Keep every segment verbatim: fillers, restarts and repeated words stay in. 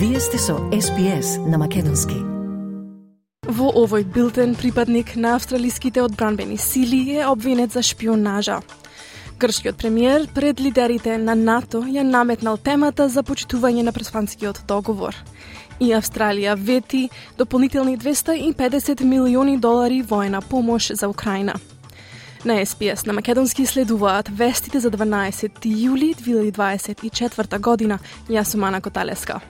Вие сте со Ес Би Ес на македонски. Во овој билтен припадник на австралиските одбранбени сили е обвинет за шпионажа. Грчкиот премиер пред лидерите на НАТО ја наметнал темата за почитување на Преспанскиот договор. И Австралија вети дополнителни двеста и педесет милиони долари воена помош за Украина. На Ес Би Ес на македонски следуваат вестите за дванаесети јули две илјади дваесет и четврта година. Јас сум Ана Коталеска.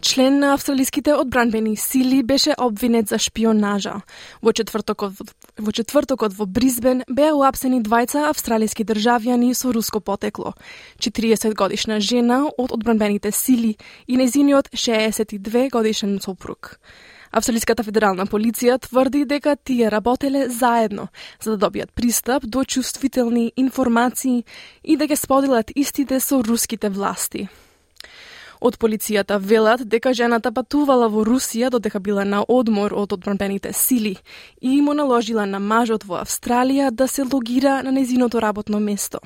Член на австралиските одбранбени сили беше обвинет за шпионажа. Во четвртокот во четвртокот во Брисбен беа уапсени двајца австралиски државјани со руско потекло. четириесет годишна жена од одбранбените сили и нејзиниот шеесет и две годишен сопруг. Австралиската федерална полиција тврди дека тие работеле заедно за да добијат пристап до чувствителни информации и да ги споделат истите со руските власти. Од полицијата велат дека жената патувала во Русија додека била на одмор од одбранбените сили и му наложила на мажот во Австралија да се логира на нејзиното работно место.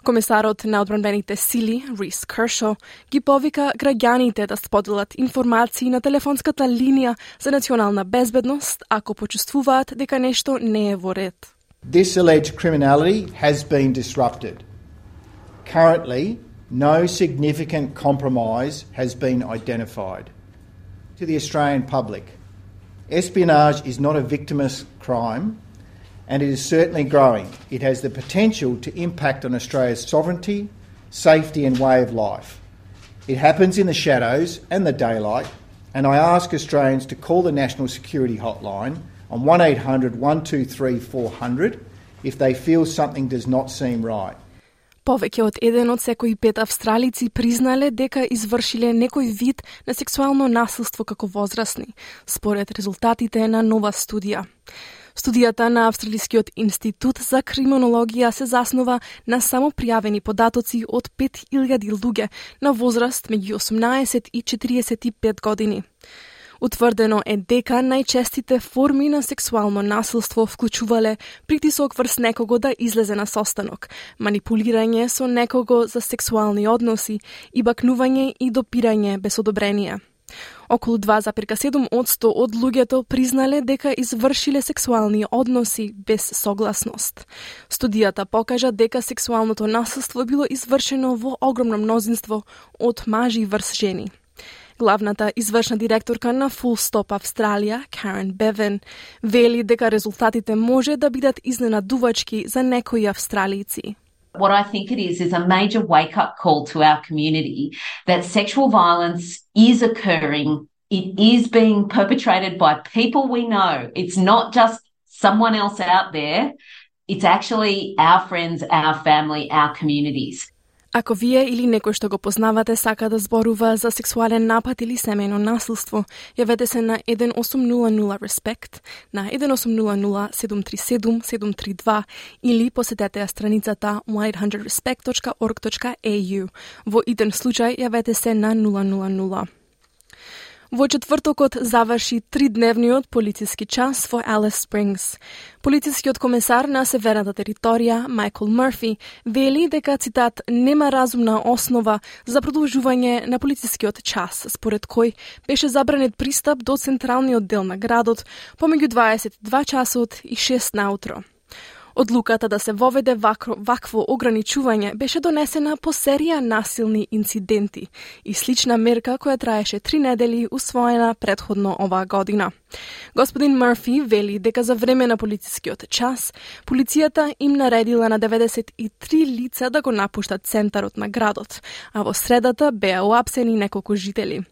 Комесарот на одбранбените сили, Рис Кершо, ги повика граѓаните да споделат информации на телефонската линија за национална безбедност ако почувствуваат дека нешто не е во ред. This alleged criminality has been disrupted. Currently, no significant compromise has been identified. To the Australian public, espionage is not a victimless crime, and it is certainly growing. It has the potential to impact on Australia's sovereignty, safety and way of life. It happens in the shadows and the daylight, and I ask Australians to call the National Security Hotline on one eight hundred, one two three, four hundred if they feel something does not seem right. Повеќе од еден од секои пет австралици признале дека извршиле некој вид на сексуално насилство како возрасни, според резултатите на нова студија. Студијата на Австралискиот институт за криминологија се заснова на само пријавени податоци од пет илјади луѓе на возраст меѓу осумнаесет и четириесет и пет години. Утврдено е дека најчестите форми на сексуално насилство вклучувале притисок врз некого да излезе на состанок, манипулирање со некого за сексуални односи и бакнување и допирање без одобрение. Околу два зарез и седум одсто од луѓето признале дека извршиле сексуални односи без согласност. Студијата покажа дека сексуалното насилство било извршено во огромно мнозинство од мажи врз жени. Главната извршна директорка на Full Stop Австралија, Карен Бевен, вели дека резултатите може да бидат изненадувачки за некои австралици. What I think it is is a major wake-up call to our community that sexual violence is occurring. It is being perpetrated by people we know. It's not just someone else out there. It's actually our friends, our family, our communities. Ако вие или некој што го познавате сака да зборува за сексуален напад или семејно насилство, јавете се на еден осум нула нула респект, на еден осум нула нула седум три седум седум три два или посетете ја страницата one eight hundred respect dot org dot a u. Во иден случај јавете се на нула нула нула. Во четвртокот заврши тридневниот полициски час во Алис Спрингс. Полицискиот комесар на северната територија, Майкл Мърфи, вели дека, цитат, нема разумна основа за продолжување на полицискиот час, според кој беше забранет пристап до централниот дел на градот помеѓу дваесет и два часот и шест наутро. Одлуката да се воведе вакво, вакво ограничување беше донесена по серија насилни инциденти и слична мерка која траеше три недели усвоена предходно оваа година. Господин Мърфи вели дека за време на полицискиот час, полицијата им наредила на деветдесет и три лица да го напуштат центарот на градот, а во средата беа уапсени неколку жители.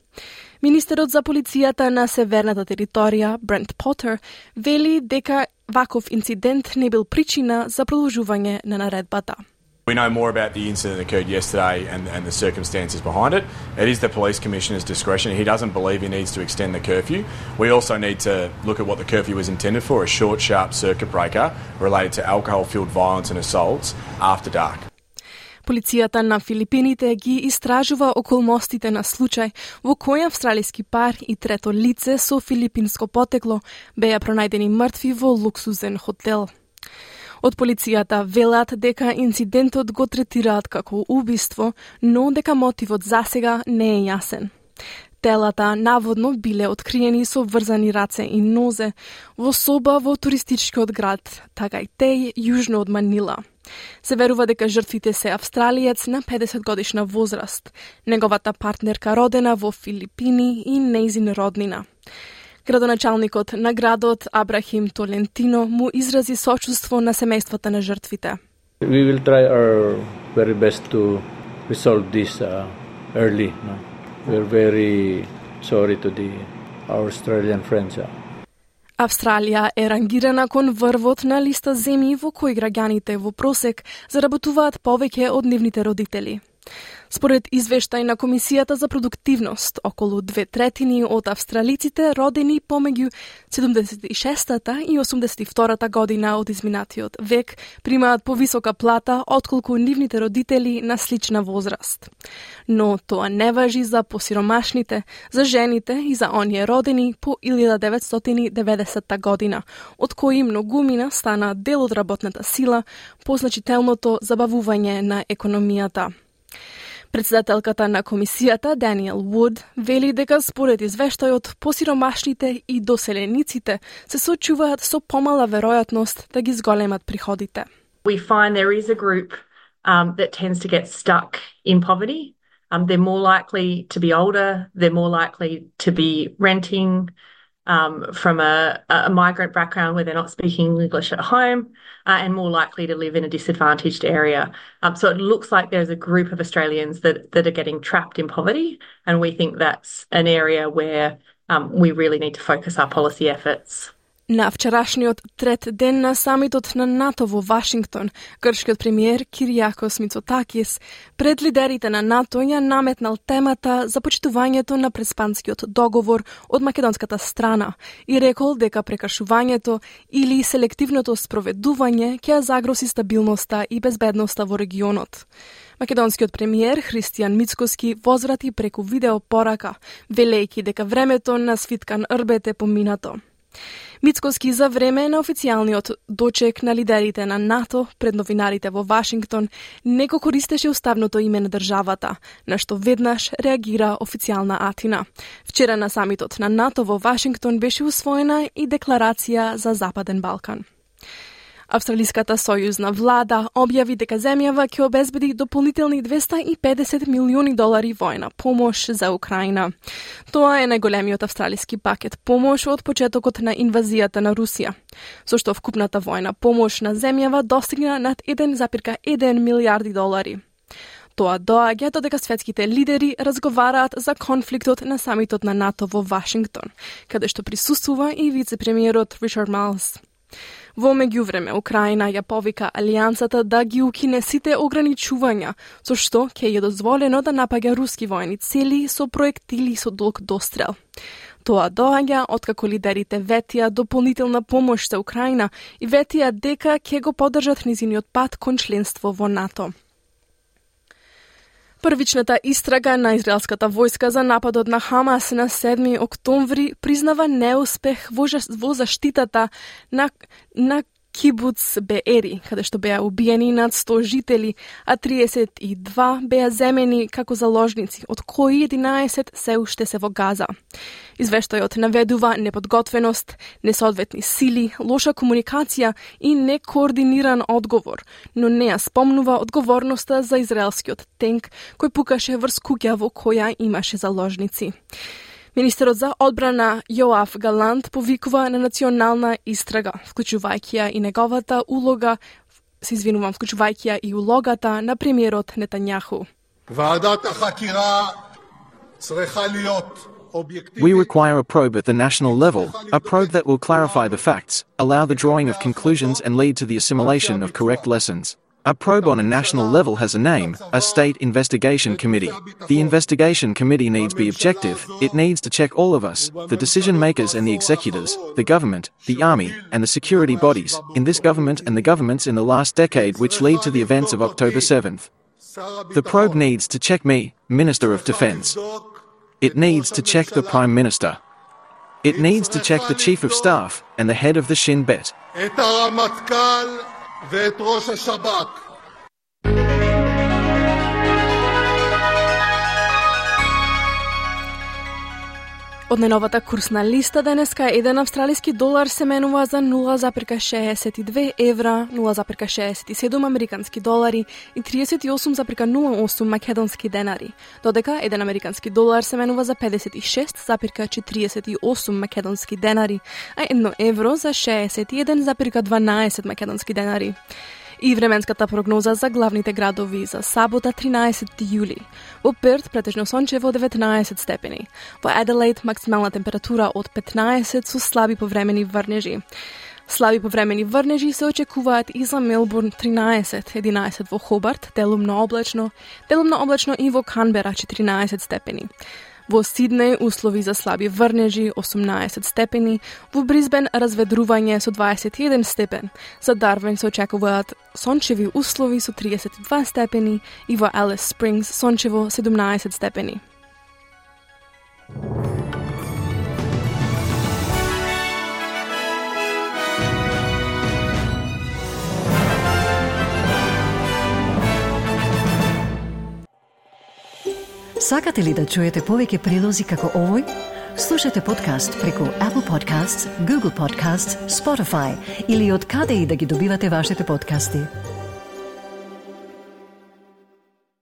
Министерот за полицијата на северната територија, Брент Потер, вели дека ваков инцидент не бил причина за продолжување на наредбата. We know more about the incident that occurred yesterday and, and the circumstances behind it. It is the police commissioner's discretion. He doesn't believe he needs to extend the curfew. We also need to look at what the curfew was intended for, a short, sharp circuit breaker related to alcohol-fueled violence and assaults after dark. Полицијата на Филипините ги истражува околностите на случај во кој австралиски пар и трето лице со филипинско потекло беа пронајдени мртви во луксузен хотел. Од полицијата велат дека инцидентот го третираат како убиство, но дека мотивот засега не е јасен. Телата наводно биле откриени со врзани раце и нозе во соба во туристичкиот град Tagaytay, јужно од Манила. Се верува дека жртвите се австралиец на педесет годишна возраст, неговата партнерка родена во Филипини и нејзин роднина. Градоначалникот на градот Абрахим Толентино му изрази сочувство на семејствата на жртвите. We will try our very best to resolve this uh, early. No? We're very sorry to the our Australian friends. Uh. Австралија е рангирана кон врвот на листа земји во кои граѓаните во просек заработуваат повеќе од нивните родители. Според извештај на Комисијата за продуктивност, околу две третини од австралиците родени помеѓу седумдесет и шестата и осумдесет и втората година од изминатиот век примаат повисока плата отколку нивните родители на слична возраст. Но тоа не важи за посиромашните, за жените и за оние родени по илјада деветстотини и деветдесетта година, од кои многумина стана дел од работната сила по значителното забавување на економијата. Председателката на комисијата, Даниел Вуд, вели дека според извештајот посиромашните и доселениците се соочуваат со помала веројатност да ги зголемат приходите. We find there is a group um, that tends to get stuck in poverty. Um, they're more likely to be older, they're more likely to be renting um, from a, a migrant background where they're not speaking English at home, uh, and more likely to live in a disadvantaged area. Um, so it looks like there's a group of Australians that, that are getting trapped in poverty, and we think that's an area where um, we really need to focus our policy efforts. На вчерашниот трет ден на самитот на НАТО во Вашингтон, грчкиот премиер Кириакос Мицотакис пред лидерите на НАТО ја наметнал темата за почитувањето на преспанскиот договор од македонската страна и рекол дека прекашувањето или селективното спроведување ќе загрози стабилноста и безбедноста во регионот. Македонскиот премиер Христијан Мицкоски возврати преку видео порака, велејќи дека времето на Свиткан Рбет е поминато. Мицкоски за време на официјалниот дочек на лидерите на НАТО пред новинарите во Вашингтон не го користеше уставното име на државата, на што веднаш реагира официјална Атина. Вчера на самитот на НАТО во Вашингтон беше усвоена и декларација за Западен Балкан. Австралиската сојузна влада објави дека земјава ќе обезбеди дополнителни двесте и педесет милиони долари војна помош за Украина. Тоа е најголемиот австралиски пакет помош од почетокот на инвазијата на Русија, со што вкупната војна помош на земјава достигна над еден зарез еден милијарди долари. Тоа доаѓа додека светските лидери разговараат за конфликтот на самитот на НАТО во Вашингтон, каде што присуствува и вице-премиерот Ричард Малс. Во меѓувреме, Украина ја повика алијансата да ги укине сите ограничувања, со што ќе ја дозволено да напаѓа руски војни цели со проектили со долг дострел. Тоа доаѓа откако лидерите ветија дополнителна помош за Украина и ветија дека ќе го поддржат низиниот пат кон членство во НАТО. Првичната истрага на израелската војска за нападот на Хамас на седми октомври признава неуспех во, во заштитата на, на Кибуц Беери, каде што беа убиени над сто жители, а триесет и два беа земени како заложници, од кои единаесет се уште се во Газа. Извештајот наведува неподготвеност, несоодветни сили, лоша комуникација и некоординиран одговор, но не ја спомнува одговорноста за израелскиот тенк кој пукаше врз куќа во која имаше заложници. Министерот за одбрана Јоав Галант повикува на национална истрага, вклучувајќи ја и неговата улога, се извинувам, вклучувајќи ја и улогата на премиерот Нетањаху. We require a probe at the national level, a probe that will clarify the facts, allow the drawing of conclusions and lead to the assimilation of correct lessons. A probe on a national level has a name, a State Investigation Committee. The investigation committee needs to be objective, it needs to check all of us, the decision makers and the executors, the government, the army, and the security bodies, in this government and the governments in the last decade which lead to the events of October seventh. The probe needs to check me, Minister of Defense. It needs to check the Prime Minister. It needs to check the Chief of Staff and the head of the Shin Bet. ואת ראש השב"כ. Од најновата курсна листа денеска еден австралиски долар се менува за нула запирка шеесет и две евра, нула запирка шеесет и седум американски долари и тридесет и осум запирка нула осум македонски денари, додека еден американски долар се менува за педесет и шест запирка четириесет и осум македонски денари, а едно евро за шеесет и еден запирка дванаесет македонски денари. И временската прогноза за главните градови за сабота тринаесети јули. Во Перт претежно сончево деветнаесет степени. Во Аделаид максимална температура од петнаесет со слаби повремени врнежи. Слаби повремени врнежи се очекуваат и за Мелбурн тринаесет, единаесет во Хобарт, делумно облачно, делумно облачно и во Канбера четиринаесет степени. Во Сиднеј услови за слаби врнежи осумнаесет степени, во Брисбен разведрување со дваесет и еден степен, за Дарвин се очекуваат сончеви услови со тридесет и два степени и во Алис Спрингс сончево седумнаесет степени. Сакате ли да чуете повеќе прилози како овој? Слушате подкаст преку Apple Podcasts, Google Podcasts, Spotify или од каде и да ги добивате вашите подкасти.